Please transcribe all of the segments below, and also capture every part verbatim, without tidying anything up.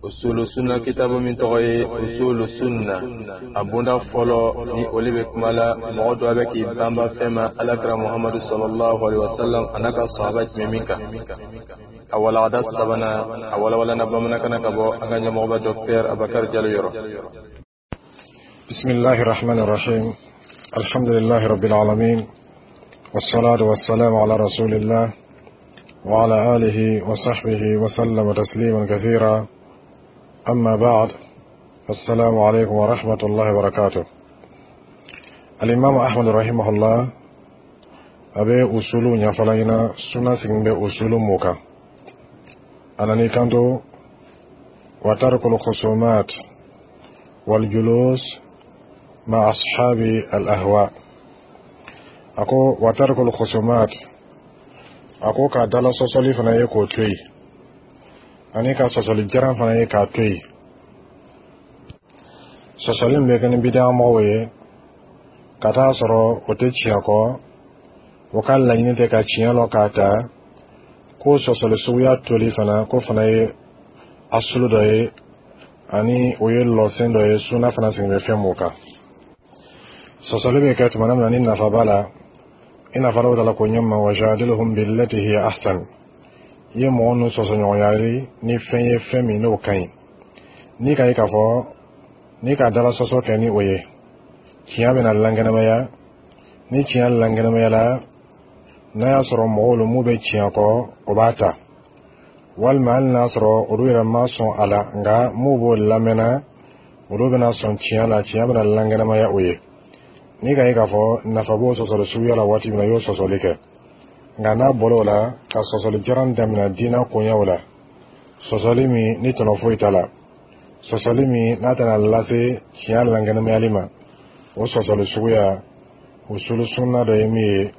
Usulu Sunna kitabu min tɔgɔ ye Usulu Sunna, a bonda fɔlɔ ni olu bɛ kuma la mɔgɔ dɔ bɛ k'i banba fɛn ma Alakira Muhamadu sallallahu alaihi wasallam a n'a ka sahaba tun bɛ min kan. A walagada sabanan, a walawalana bamanankan na ka bɔ an ka ɲɛmɔgɔba Docteur Abakari Jalo yɔrɔ. بسم الله الرحمن الرحيم، الحمد لله رب العالمين، والصلاة والسلام على رسول الله وعلى آله وصحبه وسلم تسليما كثيرا، أما بعد، السلام عليكم ورحمة الله وبركاته. الإمام أحمد رحمه الله a bɛ usulu ɲɛfɔla ɲɛna suna sigin bɛ usulu mun kan. A nana i kanto: وترك الخصومات والجلوس مع أصحاب الأهواء. A ko وترك الخصومات, a ko ka dala sɔsɔli fana ye k'o to yen, ani ka sɔsɔli jaran fana ye k'a to yen. Sɔsɔli min bɛ kɛ ni bidiyamɔgɔw ye ka taa sɔrɔ o tɛ tiɲɛ kɔ, o ka laɲini tɛ ka tiɲɛ lɔ k'a ta, ko sɔsɔli suguya toli fana, ko fana ye asulu dɔ ye, ani o ye lɔsen dɔ ye suna fana sigi bɛ fɛn mun kan. Sɔsɔli bɛ kɛ tuma min na ni nafa b'a la, i n'a fɔ Alahu taala ko ɲɛ ma: وجادلهم بالتي هي أحسن. I ye mɔgɔ ninnu sɔsɔɲɔgɔnyali ni fɛn ye, fɛn min n'o ka ɲi, n'i ka ye k'a fɔ n'i ka dala sɔsɔ kɛ ni o ye, tiɲɛ bɛna lankɛnɛmaya. Ni tiɲɛ lankɛnɛmayala, n'a y'a sɔrɔ mɔgɔw lo mun bɛ tiɲɛ kɔ, o b'a ta, walima hali n'a sɔrɔ olu yɛrɛ ma sɔn a la, nka mun b'o lamɛnna, olu bɛna sɔn tiɲɛ la, tiɲɛ bɛna lankɛnɛmaya o ye. N'i ka ye k'a fɔ nafa b'o sɔsɔli suguya la waati min na, i y'o sɔsɔli kɛ. Nka n'a bɔra o la ka sɔsɔli jaran daminɛ diinɛ koɲɛw la, sɔsɔli min ni tɔnɔ foyi t'a la, sɔsɔli min n'a tɛna lase tiɲɛ lankɛnɛmayali ma, o sɔsɔli suguya, usulu sunna dɔ ye min ye,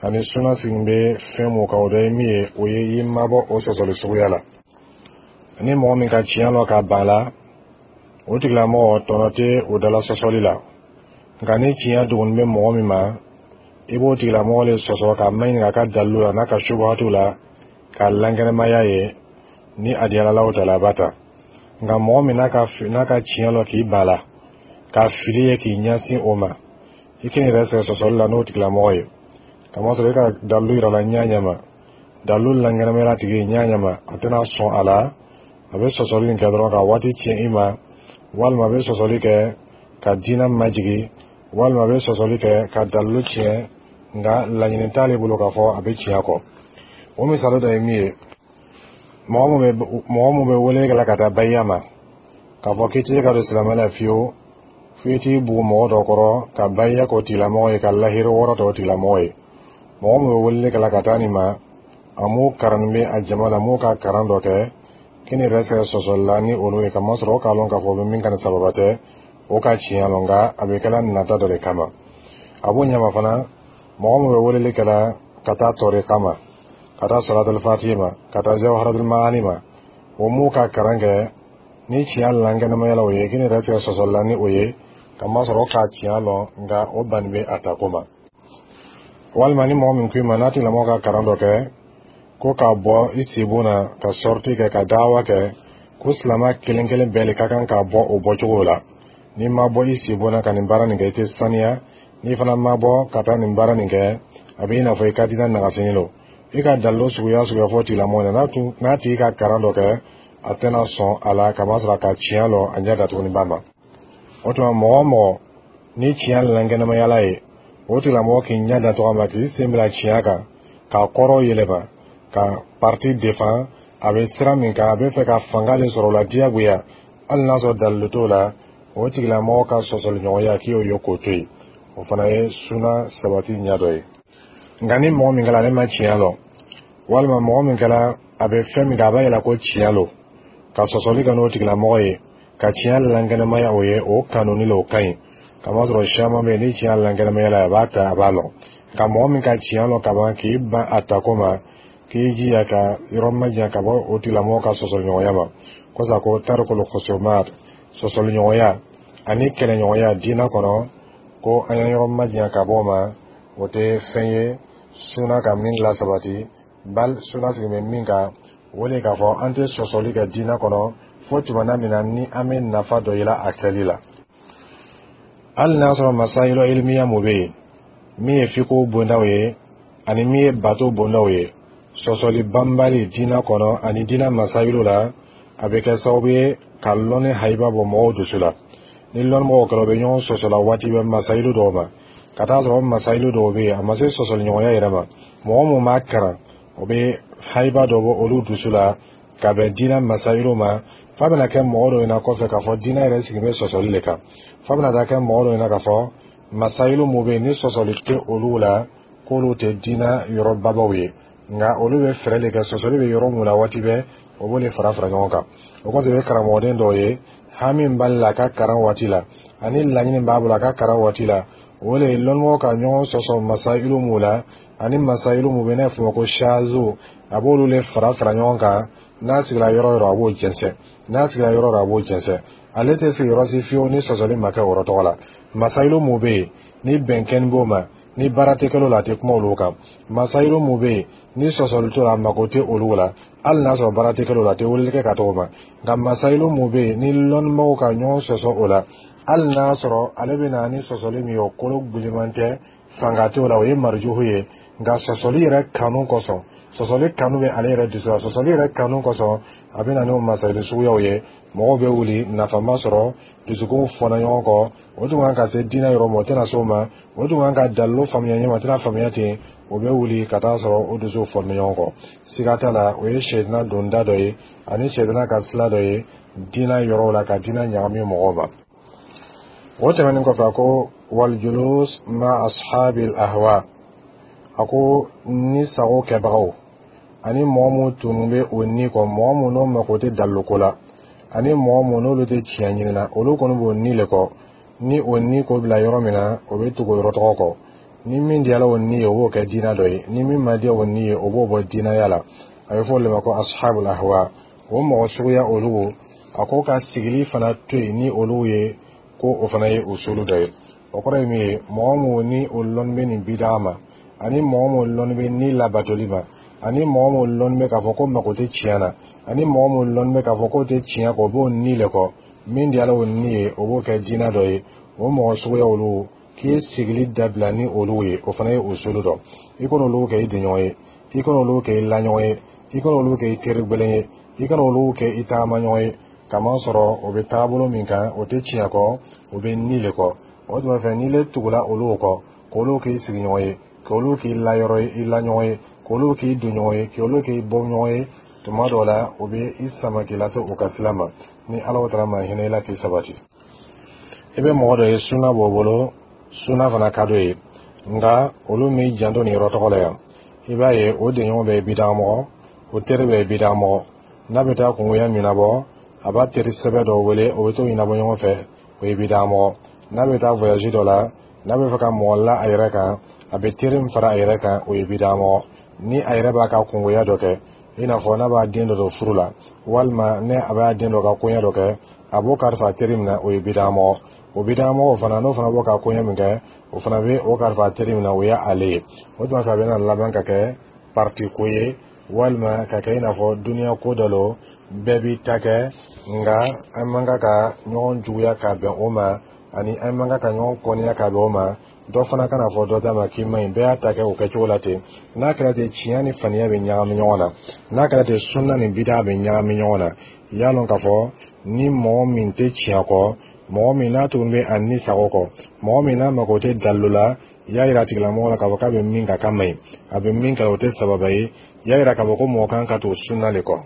ani sunna sigi bɛ fɛn mun kan, o dɔ ye min ye, o ye i mabɔ o sɔsɔli suguya la. Ni mɔgɔ min ka tiɲɛ lɔ ka ban la, o tigilamɔgɔ tɔnɔ tɛ o dala sɔsɔli la. Nka ni tiɲɛ dogoni bɛ mɔgɔ min ma, i b'o tigilamɔgɔ le sɔsɔ k'a maɲininka a ka dalilu la n'a ka subuhatu la k'a lankɛnɛmaya ye. Ni a diyara Alahu taala, a b'a ta. Nka mɔgɔ min n'a ka n'a ka tiɲɛ lɔ k'i ban la, k'a fili ye k'i ɲɛsin o ma, i k'i yɛrɛ sɛgɛn sɔsɔli la n'o tigilamɔgɔ ye, kamasɔrɔ i ka dalilu yira la ɲɛ ɲɛ ma, dalilu lankɛnɛmaya tigi ɲɛ ɲɛ ma, a tɛna sɔn a la. A bɛ sɔsɔli nin kɛ dɔrɔn ka waati tiɲɛ i ma, walima a bɛ sɔsɔli kɛ ka diinɛ majigi, walima a bɛ sɔsɔli kɛ ka dalilu tiɲɛ, nka laɲini t'ale bolo k'a fɔ a bɛ tiɲɛ kɔ. O misali dɔ ye min ye, mɔgɔ mun bɛ mɔgɔ mun bɛ wele kɛ la ka taa bayiya ma, k'a fɔ k'i tɛ se ka don silamɛ la fiyewu f'i t'i bugu mɔgɔ dɔ kɔrɔ ka bayiya k'o tigilamɔgɔ ye, ka lahiri wɔɔrɔ ta o tigilamɔgɔ ye. Mɔgɔ min bɛ weleli kɛ la ka taa nin ma, a m'o karannin bɛ a jama la, m'o ka karan dɔ kɛ, k'i ni yɛrɛ sɛgɛ sɔsɔli la ni olu ye, kamasɔrɔ o k'a lɔn k'a fɔ o bɛ min ka nin sababa tɛ o ka tiɲɛ lɔn, nka a bɛ kɛla nata dɔ de kama. A b'o ɲɛma fana, mɔgɔ min bɛ weleli kɛ la ka taa tɔri kama, ka taa sɔlatul fatihi ma, ka taa jawharatul maani ma, o m'u ka karan kɛ, ni tiɲɛ lankɛnɛmaya la o ye, k'i ni yɛrɛ sɛgɛ sɔsɔli la ni o ye, kamasɔrɔ o k'a tiɲɛ lɔn, nka o banni bɛ a tako ma. Walima ni mɔgɔ min ko i ma n'a tigilamɔgɔ ka karan dɔ kɛ, ko k'a bɔ i sibon na ka sortie kɛ ka dawa kɛ, ko silama kelen kelen bɛɛ de ka kan k'a bɔ o bɔcogo la, n'i ma bɔ i sibon na ka nin baara nin kɛ, i tɛ saniya. N'i fana ma bɔ ka taa nin baara nin kɛ, a bɛ i n'a fɔ i ka diinɛ nagasini don. I ka dalilu suguya suguya fɔ tigilamɔgɔ ɲɛna, n'a tun n'a tigi ka karan dɔ kɛ, a tɛna sɔn a la, kamasɔrɔ a ka tiɲɛ lɔ a ɲɛ datuguni ba ma. O tuma, mɔgɔ o mɔgɔ ni tiɲɛ lankɛnɛmayala ye, o tigilamɔgɔ k'i ɲɛ datugu a ma, k'i sen bila tiɲɛ kan, k'a kɔrɔ yɛlɛma, ka parti défend a bɛ sira min kan, a bɛ fɛ ka fanga de sɔrɔ o la diyagoya, hali n'a sɔrɔ dalilu t'o la, o tigilamɔgɔ ka sɔsɔliɲɔgɔnya, k'i y'o ye k'o to yen, o fana ye suna sabati ɲɛ dɔ ye. Nka ni mɔgɔ min kɛra ale ma tiɲɛ lɔ, walima mɔgɔ min kɛra a bɛ fɛn min kɛ, a b'a yira ko tiɲɛ lo, ka sɔsɔli kɛ n'o tigilamɔgɔ ye, ka tiɲɛ lankɛnɛmaya o ye, o kanuni la, o ka ɲi, kamasɔrɔ caman bɛ yen, ni tiɲɛ lankɛnɛmaya la, a b'a ta, a b'a lɔn. Nka mɔgɔ min ka tiɲɛ lɔn kaban k'i ban a tako ma, k'i jija ka yɔrɔ majanya ka bɔ o tigilamɔgɔ ka sɔsɔliɲɔgɔnya ma kosa. Ko ترك الخصومات, sɔsɔliɲɔgɔnya ani kɛlɛɲɔgɔnya diinɛ kɔnɔ, ko an ye yɔrɔ majanya ka bɔ o ma, o tɛ fɛn ye suna ka min lasabati. Bal suna sigi bɛ min kan, o de k'a fɔ an tɛ sɔsɔli kɛ diinɛ kɔnɔ. Fo tumana min na ni an bɛ nafa dɔ yela a kɛli la, hali n'a sɔrɔ masayilu ilimiya mun bɛ yen, min ye fiko bondaw ye ani min ye bato bondaw ye, sɔsɔli banbali diinɛ kɔnɔ ani diinɛ masayilu la, a bɛ kɛ sababu ye ka lɔnni hayiba bɔ mɔgɔw dusu la. Ni lɔnnimɔgɔw kɛra, u bɛ ɲɔgɔn sɔsɔ la waati bɛɛ masayilu dɔw ma, ka taa sɔrɔ masayilu dɔw bɛ yen, a ma se sɔsɔli ɲɔgɔnya yɛrɛ ma. Mɔgɔ mun b'a karan, o bɛ hayiba dɔ bɔ olu dusu la ka bɛn diinɛ masayilu ma, f'a bɛna kɛ mɔgɔ dɔw ɲɛna kɔfɛ k'a fɔ diinɛ yɛrɛ sigi bɛ sɔsɔli de kan, f'a bɛna taa kɛ mɔgɔ dɔw ɲɛna k'a fɔ masayilu mun bɛ yen ni sɔsɔli tɛ olu la, k'olu tɛ diinɛ yɔrɔ babaw ye. Nka olu bɛ fɛɛrɛ de kɛ, sɔsɔli bɛ yɔrɔ mun na waati bɛɛ, o b'o de fara fara ɲɔgɔn kan. O kɔfɛ, i bɛ karamɔgɔden dɔw ye, hami b'ale la a ka karan waati la, ani laɲini b'a bolo a ka karan waati la, o de ye lɔnnimɔgɔw ka ɲɔgɔn sɔsɔ masayilu mun la ani masayilu mun bɛ n'a fɔ ko shazu, a b'olu de fara fara ɲɔgɔn kan. N'a sigira yɔrɔ o yɔrɔ, a b'o jɛnsɛn. N'a sigira yɔrɔ o yɔrɔ, a b'o jɛnsɛn. Ale tɛ sigi yɔrɔ si fiyewu ni sɔsɔli ma kɛ o yɔrɔ tɔgɔ la. Masayilu mun bɛ yen ni bɛnkɛni b'o ma, ni baara tɛ kɛl'o la, a tɛ kuma olu kan. Masayilu mun bɛ yen ni sɔsɔli t'o la, a mako tɛ olu la, hali n'a sɔrɔ baara tɛ kɛl'o la, a tɛ weleli kɛ ka t'o ma. Nka masayilu mun bɛ yen ni lɔnnibaaw ka ɲɔgɔn sɔsɔ o la, hali n'a sɔrɔ ale bɛ na ni sɔsɔli min ye, o kolo giliman tɛ, fanga t'o la, o ye marijuhu ye. Nka sɔsɔli yɛrɛ kanu kosɔn, sɔsɔli kanu bɛ ale yɛrɛ dusu la, sɔsɔli yɛrɛ kanu kosɔn, a bɛ na n'o masayilu suguyaw ye. Mɔgɔw bɛ wuli, nafa ma sɔrɔ, dusukun fɔnna ɲɔgɔn kɔ. O tun kan ka se diinɛ yɔrɔ ma, o tɛna s'o ma. O tun kan ka dalilu faamuya ɲɛ ma, o tɛna faamuya ten. O bɛ wuli ka taa sɔrɔ o dusu fɔnna ɲɔgɔn kɔ. Siga t'a la, o ye sɛdina donda dɔ ye ani sɛdina ka sila dɔ ye diinɛ yɔrɔw la, ka diinɛ ɲagami mɔgɔw ma. O tɛmɛnen kɔfɛ, a ko: waljulus ma ashabil ahwa. A ko ni sago kɛbagaw ani mɔgɔ mun tunu bɛ o ni kɔ, mɔgɔ mun n'o mako tɛ daliluko la, ani mɔgɔ mun n'olu tɛ tiɲɛ ɲini na, olu kɔni b'o ni le kɔ. Ni o ni ko bila yɔrɔ min na, o bɛ tugu o yɔrɔ tɔgɔ kɔ. Ni min diyara o ni ye, o b'o kɛ diinɛ dɔ ye. Ni min ma diya o ni ye, o b'o bɔ diinɛya la. A bɛ fɔ o de ma ko ashabul ahwa. O mɔgɔ suguya olu, a ko ka sigili fana to yen ni olu ye, ko o fana ye usulu dɔ ye. O kɔrɔ ye min ye, mɔgɔ mun ni o lɔnni bɛ nin bidaa ma, ani mɔgɔ mun lɔnni bɛ ni labatoli ma, ani mɔgɔ mun lɔnni bɛ k'a fɔ ko mako tɛ tiɲɛ na, ani mɔgɔ mun lɔnni bɛ k'a fɔ k'o tɛ tiɲɛ kɔ, o b'o ni le kɔ. Min diyara o ni ye, o b'o kɛ diinɛ dɔ ye. O mɔgɔ suguya olu, k'i ye sigili dabila ni olu ye, o fana ye usulu dɔ. I kana olu kɛ i denɲɔgɔn ye, i kana olu kɛ i laɲɔgɔn ye, i kana olu kɛ i teri gbɛlɛn ye, i kana olu kɛ i tagamaɲɔgɔn ye, kamasɔrɔ o bɛ taabolo min kan, o tɛ tiɲɛ kɔ, o bɛ ni le kɔ. O tuma fɛ, n'i le tugula olu kɔ, k'olu k'i sigiɲɔgɔn ye, k'olu k'i layɔrɔ ye, i laɲɔgɔn ye, k'olu k'i donɲɔgɔn ye, k'olu k'i bɔɲɔgɔn ye, tuma dɔw la o bɛ i sama k'i lase u ka sira ma. Ni Ala taara ma hinɛ i la k'i sabati, i bɛ mɔgɔ dɔ ye, suna b'o bolo, suna fana ka d'o ye, nka olu m'i janto nin yɔrɔ tɔgɔ la yan. I b'a ye, o denɲɔgɔn bɛ ye bidamɔgɔ, o teri bɛ ye bidamɔgɔ. N'a bɛ taa kungoya ɲɛnabɔ, a b'a teri sɛbɛ dɔ wele, o bɛ t'o ɲɛnabɔ ɲɔgɔn fɛ, o ye bidamɔgɔ. N'a bɛ taa voyage dɔ la, n'a bɛ fɛ ka mɔgɔ la a yɛrɛ kan, a bɛ teri min fara a yɛrɛ kan, o ye bidamɔgɔ. Ni a yɛrɛ b'a ka kungoya dɔ kɛ, i n'a fɔ n'a b'a den dɔ don furu la, walima ni a b'a den dɔ ka koɲɛ dɔ kɛ, a b'o kalifa teri min na, o ye bidamɔgɔ. O bidamɔgɔ fana, n'o fana b'o ka koɲɛ min kɛ, o fana bɛ o kalifa teri min na, o ye ale ye. O tuma fɛ, a bɛna laban ka kɛ parti ko ye, walima ka kɛ i n'a fɔ duniya ko dɔ lo, bɛɛ b'i ta kɛ. Nka an man kan ka ɲɔgɔn juguya ka bɛn o ma, ani an man kan ka ɲɔgɔn kɔniya ka bɛn o ma. Dɔ fana kana fɔ dɔ ta ma k'i man ɲi. Bɛɛ y'a ta kɛ o kɛcogo la ten. N'a kɛra ten, tiɲɛ ni faniya bɛ ɲagami ɲɔgɔn na. N'a kɛra ten, sunna ni bida bɛ ɲagami ɲɔgɔn na. I y'a lɔn k'a fɔ ni mɔgɔ min tɛ tiɲɛ kɔ, mɔgɔ min n'a tun bɛ a ni sago kɔ, mɔgɔ min n'a mako tɛ dalilu la, i y'a yira a tigilamɔgɔ la k'a fɔ k'a bɛ min kan k'a man ɲi, a bɛ min kɛ, o tɛ sababa ye. I y'a yira k'a fɔ ko mɔgɔ kan ka to sunna de kɔ,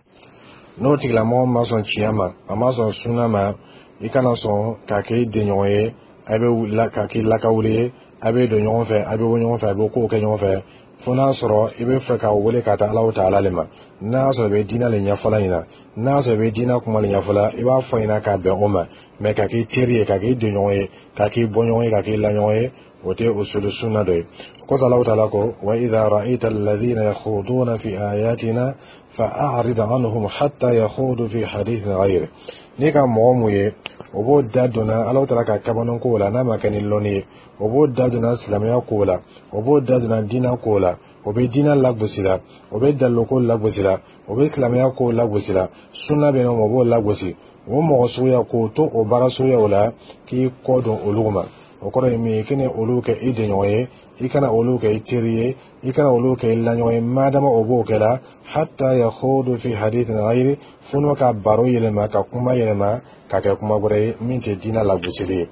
n'o tigilamɔgɔ ma sɔn tiɲɛ ma, a ma sɔn sunna ma, i kana sɔn k'a kɛ i denɲɔgɔn ye, a bɛ k'a k'i lakawuli ye, a bɛ don ɲɔgɔn fɛ, a bɛ bɔ ɲɔgɔn fɛ, a bɛ kow kɛ ɲɔgɔn fɛ, fo n'a sɔrɔ i bɛ fɛ k'a wele ka taa Alahu taala le ma. N'a y'a sɔrɔ i bɛ diinɛ le ɲɛfɔla ɲɛna, n'a y'a sɔrɔ i bɛ diinɛ kuma le ɲɛfɔla, i b'a fɔ ɲɛna k'a bɛn o ma. Mɛ ka k'i teri ye, ka k'i denɲɔgɔn ye, ka k'i bɔɲɔgɔn ye, ka k'i laɲɔgɔn ye, o tɛ usulu sunna dɔ ye. Kosɔn Alahu taala ko: wa idha ra'ayta alladhina yakhuduna fi ayatina fa'arid anhum hatta yakhudu fi hadithin ghayri. N'i ka mɔgɔ mun ye, o b'o da donna Alahu taala ka kabano kow la, n'a ma kɛ ni lɔnni ye, o b'o da donna silamɛya kow la, o b'o da donna diinɛ kow la, O bɛ diinɛ lagosi la, o bɛ daliloko lagosi la, o bɛ silamɛya ko lagosi la, sunna bɛ yen nɔ, o b'o lagosi. O mɔgɔ suguya, k'o to o baara suguyaw la, k'i kɔ don olu ma, o kɔrɔ ye min ye, i kana olu kɛ i jɛɲɔgɔn ye, i kana olu kɛ i teri ye, i kana olu kɛ i laɲɔgɔn ye, madama o b'o kɛ la, hatta yakhudu fi hadithin ghayri, fo n'o ka baro yɛlɛma, ka kuma yɛlɛma ka kɛ kuma wɛrɛ ye min tɛ diinɛ lagosili ye.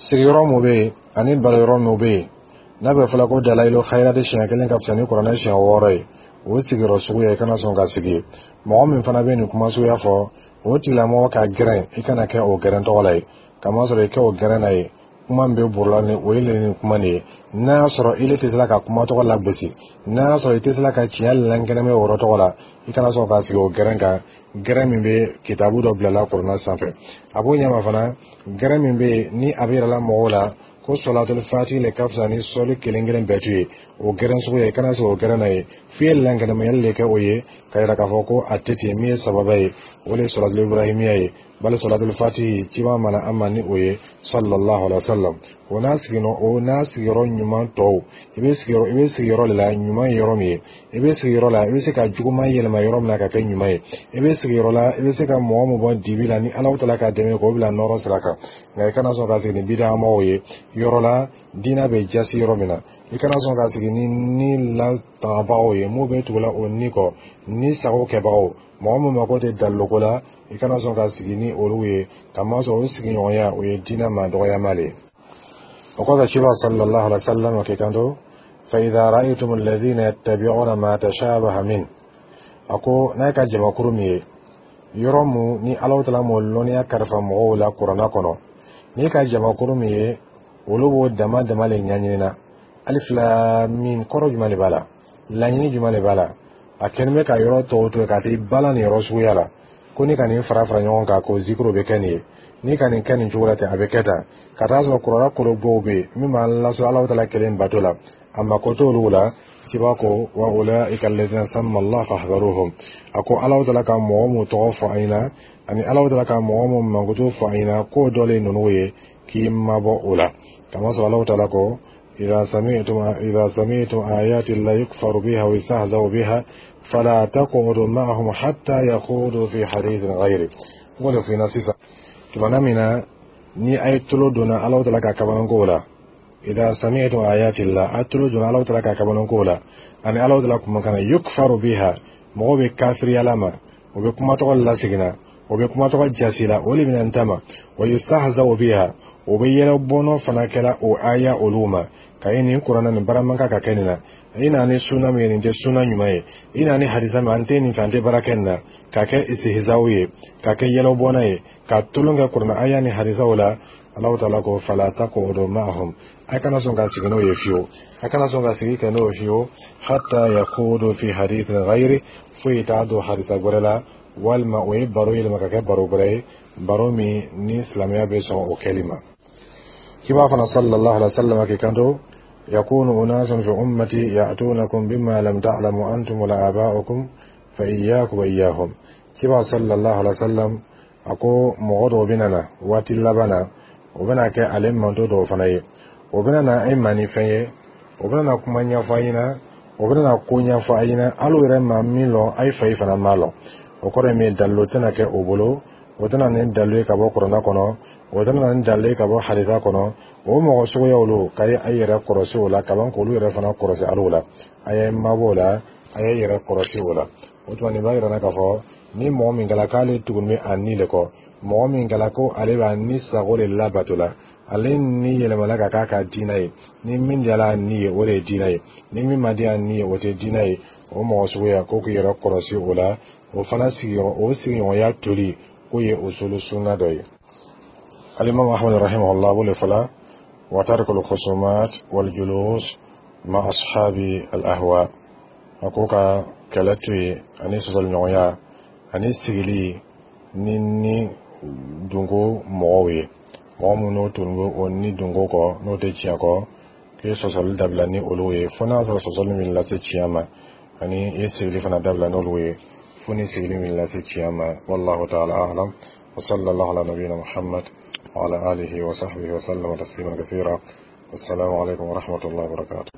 Sigiyɔrɔ mun bɛ yen ani baroyɔrɔ mun bɛ yen n'a bɛ fɔla ko dalayilu khayirati siɲɛ kelen ka fisa ni kuranɛ siɲɛ wɔɔrɔ ye, o sigiyɔrɔ suguya, i kana sɔn ka sigi. Mɔgɔ min fana bɛ nin kuma suguya fɔ, o tigilamɔgɔ ka gɛrɛn, i kana kɛ o gɛrɛn tɔgɔ la ye, kamasɔrɔ i kɛ o gɛrɛn na ye, kuma min bɛ borola ni o ye nin kuma nin ye. N'a y'a sɔrɔ ile tɛ se ka kuma tɔgɔ lagosi, n'a y'a sɔrɔ i tɛ se ka tiɲɛ lankɛnɛmɛ o yɔrɔ tɔgɔ la, i kana sɔn ka sigi o gɛrɛn kan, gɛrɛn min bɛ kitabu dɔ bilala kuranɛ sanfɛ. A b'o ɲɛma fana, gɛrɛn min bɛ yen ni a bɛ yirala mɔgɔw la ko sɔlatul fati le ka fisa ni sɔli kelen kelen bɛɛ tu ye, o gɛrɛn sugu ye, i kana sigi o gɛrɛn na ye, f'i ye lankɛnɛmayali de kɛ o ye, ka yira k'a fɔ ko a tɛ ten. Min ye sababa ye, o de ye sɔlatul ibrahimiya ye, bali sɔlatul fati ciba mana an ma ni o ye, sallallahu alaihi wa sallam. O n'a sigiyɔrɔ o n'a sigiyɔrɔ ɲuman tɔw, i bɛ sigiyɔrɔ i bɛ sigiyɔrɔ de la ɲuman ye yɔrɔ min ye, i bɛ sigiyɔrɔ la i bɛ se ka juguman yɛlɛma yɔrɔ min na ka kɛ ɲuman ye, i bɛ sigiyɔrɔ la i bɛ se ka mɔgɔ min bɔ dibi la ni Alahu taala ka dɛmɛ k'o bila nɔrɔ sira kan. Nka i kana sɔn ka sigi ni bidamɔgɔw ye yɔrɔ la diinɛ bɛ jasi yɔrɔ min na. I kana sɔn ka sigi ni ni latangabagaw ye, mun bɛ tugula o ni kɔ, ni sago kɛbagaw, mɔgɔ min mako tɛ daliloko la, i kana sɔn ka sigi ni olu ye, kamasɔrɔ o sigiɲɔgɔnya, o ye diinɛ ma dɔgɔyama le ye. O kɔfɛ, ciba sallallahu alaihi wa sallam k'i kanto: fa idha ra'aytum alladhina yattabi'una ma tashabaha min, a ko n'a ka jamakuru min ye yɔrɔ mun ni Alahu taala m'o lɔnniya kalifa mɔgɔw la kuranna kɔnɔ, n'i ka jamakuru min ye, olu b'o dama dama le ɲɛɲini na, alif lam mim kɔrɔ jumɛn de b'a la, laɲini jumɛn de b'a la, a kɛlen bɛ ka yɔrɔ tɔw to yen ka t'i bala nin yɔrɔ suguya la, ko ni ka nin fara fara ɲɔgɔn kan k'o zikiro bɛ kɛ nin ye, ni ka nin kɛ nin cogo la ten, a bɛ kɛ tan, ka taa sɔrɔ kuranna kolo bɔw bɛ yen min b'an lasɔrɔ Alahu taala kelen bato la, a mako t'olu la. Ciba ko: wa ulaika alladhina samma Allah fahdharuhum. A ko Alahu taala ka mɔgɔ mun tɔgɔ fɔ an ɲɛna ani Alahu taala ka mɔgɔ mun mankutu fɔ an ɲɛna, k'o dɔ le ninnu ye, k'i mabɔ o la, kamasɔrɔ Alahu taala ko: إذا سمعتم إذا سمعتم آيات الله يكفر بها ويستهزأ بها فلا تقعدوا معهم حتى يخوضوا في حديث غيره. N f'i ɲɛna sisan, tumana min na ni a ye tulo donna Alahu taala ka kabanako la, إذا سمعتم آيات الله, a tulo donna Alahu taala ka kabanako la ani Alahu taala kumakan na, يكفر بها, mɔgɔw bɛ kafiriyala ma, o bɛ kuma tɔgɔ laseginna, o bɛ kuma tɔgɔ jasi la, o de bɛna n ta ma, ويستهزأ بها, o bɛ yɛlɛ bɔnɔ fana kɛla o aya olu ma, ka ye nin kuranna nin baara man kan ka kɛ nin na, i na ni sunna min ye, nin tɛ sunna ɲuman ye, i na ni hadisa min, an tɛ nin fɛ, an tɛ baara kɛ nin na, ka kɛ istihzaw ye, ka kɛ yɛlɛbɔnna ye, ka tolon kɛ kuranna aya ni hadisaw la. Alahu taala ko: فلا تقعدوا معهم, a kana sɔn ka sigi n'o ye fiyewu, a kana sɔn ka sigi kɛ n'o ye fiyewu, حتى يخوضوا في حديث غيره, foyi t'a don hadisa wɛrɛ la, walima o ye baro yɛlɛma ka kɛ baro wɛrɛ ye, baro min ni silamɛya bɛ sɔn o kɛli ma. Kiba fana sallallahu alaihi wa sallam k'i kanto: يكون أناس في أمتي يأتونكم بما لم تعلموا أنتم ولا آباؤكم فإياكم وإياهم. Kiba sallallahu alaihi wa sallam a ko mɔgɔ dɔw bɛna na waati laban na, o bɛna kɛ ale manto dɔw fana ye, o bɛna na e ma ni fɛn ye, o bɛna na kuma ɲɛfɔ a ɲɛna, o bɛna na ko ɲɛfɔ a ɲɛna, hali o yɛrɛ ma min lɔn, a ye fa yi fana ma lɔn. O kɔrɔ ye min ye, dalilu tɛna kɛ o bolo, o tɛna ni dalilu ye ka bɔ kuranna kɔnɔ, o tɛna ni dalilu ye ka bɔ hadisa kɔnɔ. O mɔgɔ suguya olu ka ye a yɛrɛ kɔlɔsi o la kaban, k'olu yɛrɛ fana kɔlɔsi al'o la, a ye mabɔ o la, a ye yɛrɛ kɔlɔsi o la. O tuma nin b'a yira k'a fɔ ni mɔgɔ min kɛla k'ale tugun bɛ a ni de kɔ, mɔgɔ min kɛla ko ale b'a ni sago de labato la, ale ni yɛlɛmala ka k'a ka diinɛ ye, ni min diyala a ni ye, o de ye diinɛ ye, ni min ma diya a ni ye, o tɛ diinɛ ye, o mɔgɔ suguya ko k'i yɛrɛ kɔlɔsi o la. O fana sigiyɔrɔ, o sigiɲɔgɔnya toli k'o ye usulu sunna dɔ ye. Alimami Ahmad rahimahullah b'o le fɔla: وترك الخصومات والجلوس مع أصحاب الأهواء. A ko ka kɛlɛ to yen ani sɔsɔliɲɔgɔnya ani sigili ni ni dunko mɔgɔw ye, mɔgɔ minnu tun bɛ o ni dunko kɔ, n'o tɛ tiɲɛ kɔ, k'i sɔsɔli dabila ni olu ye, fo n'a sɔrɔ sɔsɔli min lase tiɲɛ ma, ani i ye sigili fana dabila n'olu ye, fo ni sigili min lase tiɲɛ ma. والله تعالى أعلم، وصلى الله على نبينا محمد وعلى آله وصحبه وسلم تسليما كثيرا. والسلام عليكم ورحمة الله وبركاته.